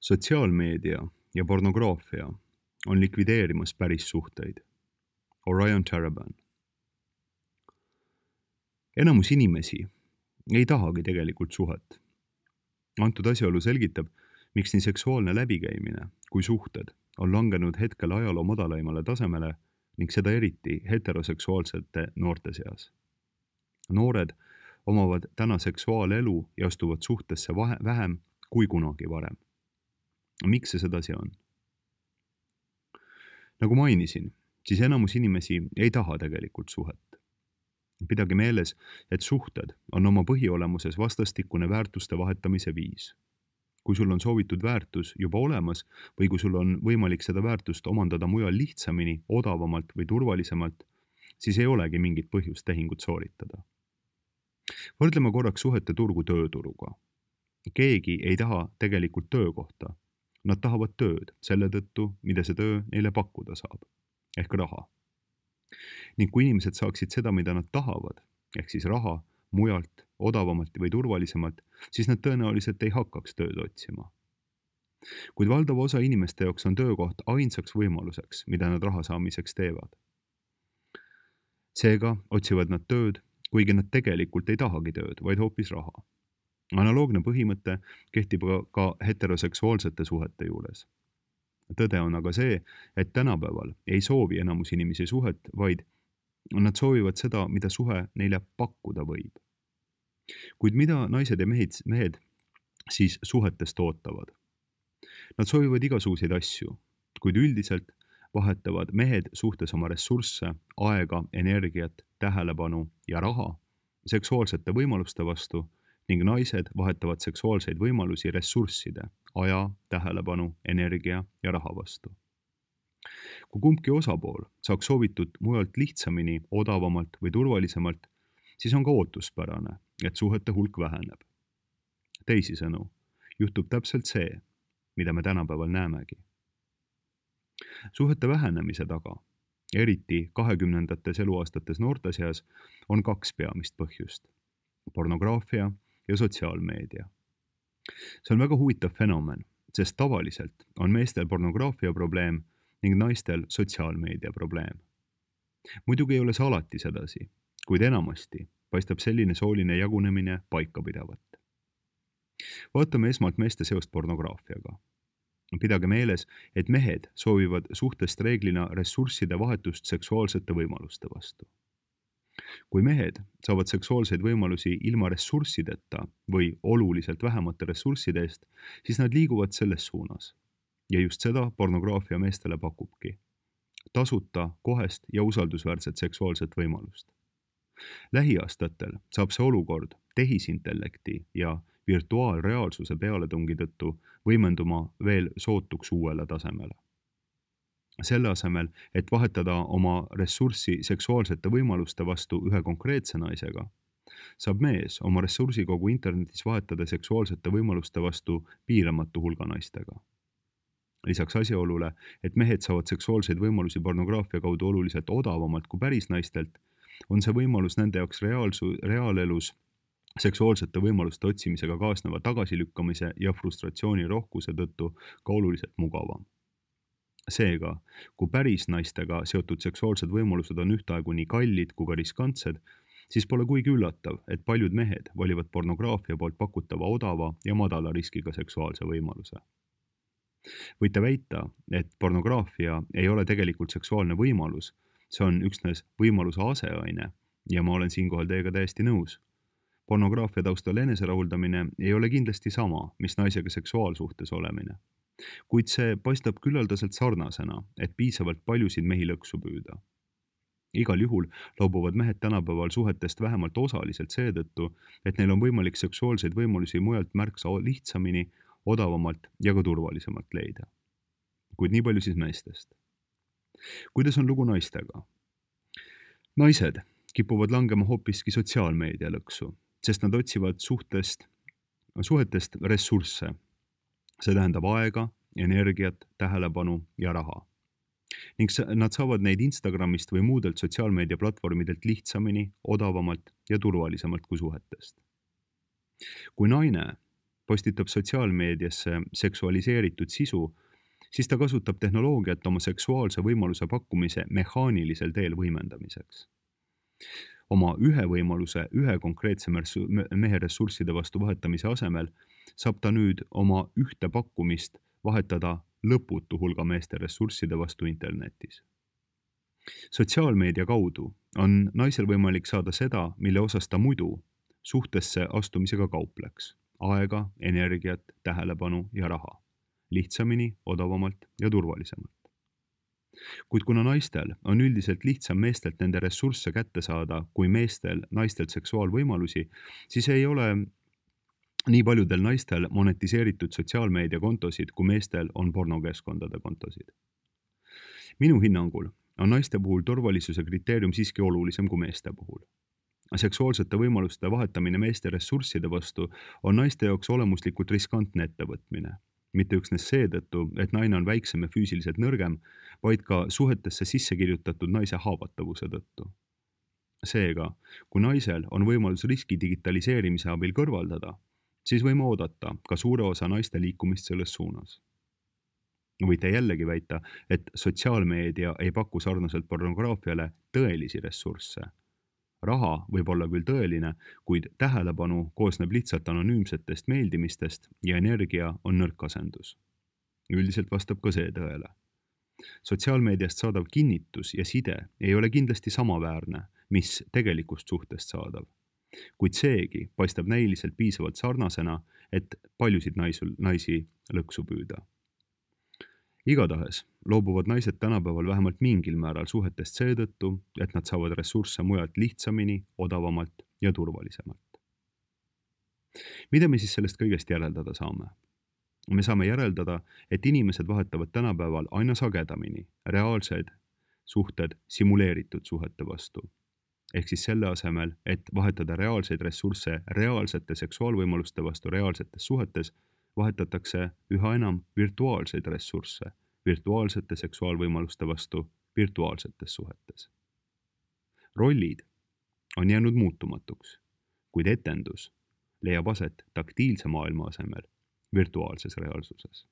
Sotsiaalmeedia ja pornograafia on likvideerimas päris suhteid. Orion Taraban. Enamus inimesi ei tahagi tegelikult suhet. Antud asjaolu selgitab, miks nii seksuaalne läbikäimine kui suhted on langenud hetkel ajaloo madalaimale tasemele ning seda eriti heteroseksuaalsete noorte seas. Noored omavad täna seksuaalelu ja astuvad suhtesse vähem kui kunagi varem. Miks see sedasi on? Nagu mainisin, siis enamus inimesi ei taha tegelikult suhet. Pidage meeles, et suhted on oma põhiolemuses vastastikune väärtuste vahetamise viis. Kui sul on soovitud väärtus juba olemas või kui sul on võimalik seda väärtust omandada mujal lihtsamini, odavamalt või turvalisemalt, siis ei olegi mingit põhjust tehingut sooritada. Võrdleme korraks suhete turgu tööturuga. Keegi ei taha tegelikult töökohta. Nad tahavad tööd selle tõttu, mida see töö neile pakkuda saab, ehk raha. Ning kui inimesed saaksid seda, mida nad tahavad, ehk siis raha, mujalt, odavamalt või turvalisemalt, siis nad tõenäoliselt ei hakkaks tööd otsima. Kuid valdav osa inimeste jaoks on töökoht ainsaks võimaluseks, mida nad raha saamiseks teevad. Seega otsivad nad tööd, kuigi nad tegelikult ei tahagi tööd, vaid hoopis raha. Analoogne põhimõte kehtib ka heteroseksuaalsete suhete juures. Tõde on aga see, et tänapäeval ei soovi enamus inimesi suhet, vaid nad soovivad seda, mida suhe neile pakkuda võib. Kuid mida naised ja mehed siis suhetest ootavad? Nad soovivad igasuguseid asju, kuid üldiselt vahetavad mehed suhtes oma ressursse, aega, energiat, tähelepanu ja raha seksuaalsete võimaluste vastu ning naised vahetavad seksuaalseid võimalusi ressursside, aja, tähelepanu, energia ja raha vastu. Kui kumbki osapool saaks soovitud mujalt lihtsamini, odavamalt või turvalisemalt, siis on ka ootuspärane, et suhete hulk väheneb. Teisisõnu, juhtub täpselt see, mida me tänapäeval näemegi. Suhete vähenemise taga, eriti 20. eluaastates noorte seas, on kaks peamist põhjust: pornograafia ja sotsiaalmeedia. See on väga huvitav fenomen, sest tavaliselt on meestel pornograafia probleem ning naistel sotsiaalmeedia probleem. Muidugi ei ole see alati sedasi, kuid enamasti paistab selline sooline jagunemine paikapidavat. Vaatame esmalt meeste seost pornograafiaga. Pidage meeles, et mehed soovivad suhtest reeglina ressursside vahetust seksuaalsete võimaluste vastu. Kui mehed saavad seksuaalseid võimalusi ilma ressurssideta või oluliselt vähemate ressursside eest, siis nad liiguvad selles suunas. Ja just seda pornograafia meestele pakubki. Tasuta, kohest ja usaldusväärset seksuaalset võimalust. Lähiaastatel saab see olukord tehisintellekti ja virtuaalreaalsuse pealetungi tõttu võimenduma veel sootuks uuele tasemele. Selle asemel, et vahetada oma ressurssi seksuaalsete võimaluste vastu ühe konkreetse naisega, saab mees oma ressursi kogu internetis vahetada seksuaalsete võimaluste vastu piiramatu hulga naistega. Lisaks asjaolule, et mehed saavad seksuaalseid võimalusi pornograafia kaudu oluliselt odavamalt kui päris naistelt, on see võimalus nende jaoks reaalelus seksuaalsete võimaluste otsimisega kaasneva tagasilükkamise ja frustratsiooni rohkuse tõttu ka oluliselt mugavam. Seega, kui päris naistega seotud seksuaalsed võimalused on ühtaegu nii kallid kui ka riskantsed, siis pole kuigi üllatav, et paljud mehed valivad pornograafia poolt pakutava odava ja madala riskiga seksuaalse võimaluse. Võite väita, et pornograafia ei ole tegelikult seksuaalne võimalus, see on üksnes võimaluse aseaine ja ma olen siinkohal teiega täiesti nõus. Pornograafia taustal eneserahuldamine ei ole kindlasti sama, mis naisega seksuaalsuhtes olemine. Kuid see paistab küllaldaselt sarnasena, et piisavalt paljusid mehi lõksu püüda. Igal juhul loobuvad mehed tänapäeval suhetest vähemalt osaliselt seetõttu, et neil on võimalik seksuaalseid võimalusi mujalt märksa lihtsamini, odavamalt ja ka turvalisemalt leida. Kuid nii palju siis meestest. Kuidas on lugu naistega? Naised kipuvad langema hoopiski sotsiaalmeedia lõksu, sest nad otsivad suhetest ressursse. See tähendab aega, energiat, tähelepanu ja raha. Ning nad saavad neid Instagramist või muudelt sotsiaalmeedia platvormidelt lihtsamini, odavamalt ja turvalisemalt kui suhetest. Kui naine postitab sotsiaalmeediasse seksualiseeritud sisu, siis ta kasutab tehnoloogiat oma seksuaalse võimaluse pakkumise mehaanilisel teel võimendamiseks. Oma ühe võimaluse ühe konkreetse mehe ressursside vastu vahetamise asemel saab ta nüüd oma ühte pakkumist vahetada lõputu hulga meeste ressursside vastu internetis. Sotsiaalmeedia kaudu on naisel võimalik saada seda, mille osas ta muidu suhtesse astumisega kaupleks: aega, energiat, tähelepanu ja raha. Lihtsamini, odavamalt ja turvalisemalt. Kuid kuna naistel on üldiselt lihtsam meestelt nende ressursse kätte saada kui meestel naistelt seksuaalvõimalusi, siis ei ole nii paljudel naistel monetiseeritud sotsiaalmeediakontosid, kui meestel on pornokeskkondade kontosid. Minu hinnangul on naiste puhul turvalisuse kriteerium siiski olulisem kui meeste puhul. Seksuaalsete võimaluste vahetamine meeste ressursside vastu on naiste jaoks olemuslikult riskantne ettevõtmine. Mitte üksnes seetõttu, et naine on väiksem ja füüsiliselt nõrgem, vaid ka suhetesse sisse kirjutatud naise haavatavuse tõttu. Seega, kui naisel on võimalus riski digitaliseerimise abil kõrvaldada, siis võime oodata ka suure osa naiste liikumist selles suunas. Võite jällegi väita, et sotsiaalmeedia ei paku sarnaselt pornograafiale tõelisi ressursse. Raha võib olla küll tõeline, kuid tähelepanu koosneb lihtsalt anonüümsetest meeldimistest ja energia on nõrk asendus. Üldiselt vastab ka see tõele. Sotsiaalmeediast saadav kinnitus ja side ei ole kindlasti samaväärne, mis tegelikust suhtest saadav. Kuid seegi paistab näiliselt piisavalt sarnasena, et paljusid naisi lõksu püüda. Igatahes loobuvad naised tänapäeval vähemalt mingil määral suhetest seetõttu, et nad saavad ressursse mujalt lihtsamini, odavamalt ja turvalisemalt. Mida me siis sellest kõigest järeldada saame? Me saame järeldada, et inimesed vahetavad tänapäeval aina sagedamini reaalsed suhted simuleeritud suhete vastu. Ehk siis selle asemel, et vahetada reaalseid ressursse reaalsete seksuaalvõimaluste vastu reaalsetes suhetes, vahetatakse üha enam virtuaalseid ressursse virtuaalsete seksuaalvõimaluste vastu virtuaalsetes suhetes. Rollid on jäänud muutumatuks, kuid etendus leiab aset taktiilse maailma asemel virtuaalses reaalsuses.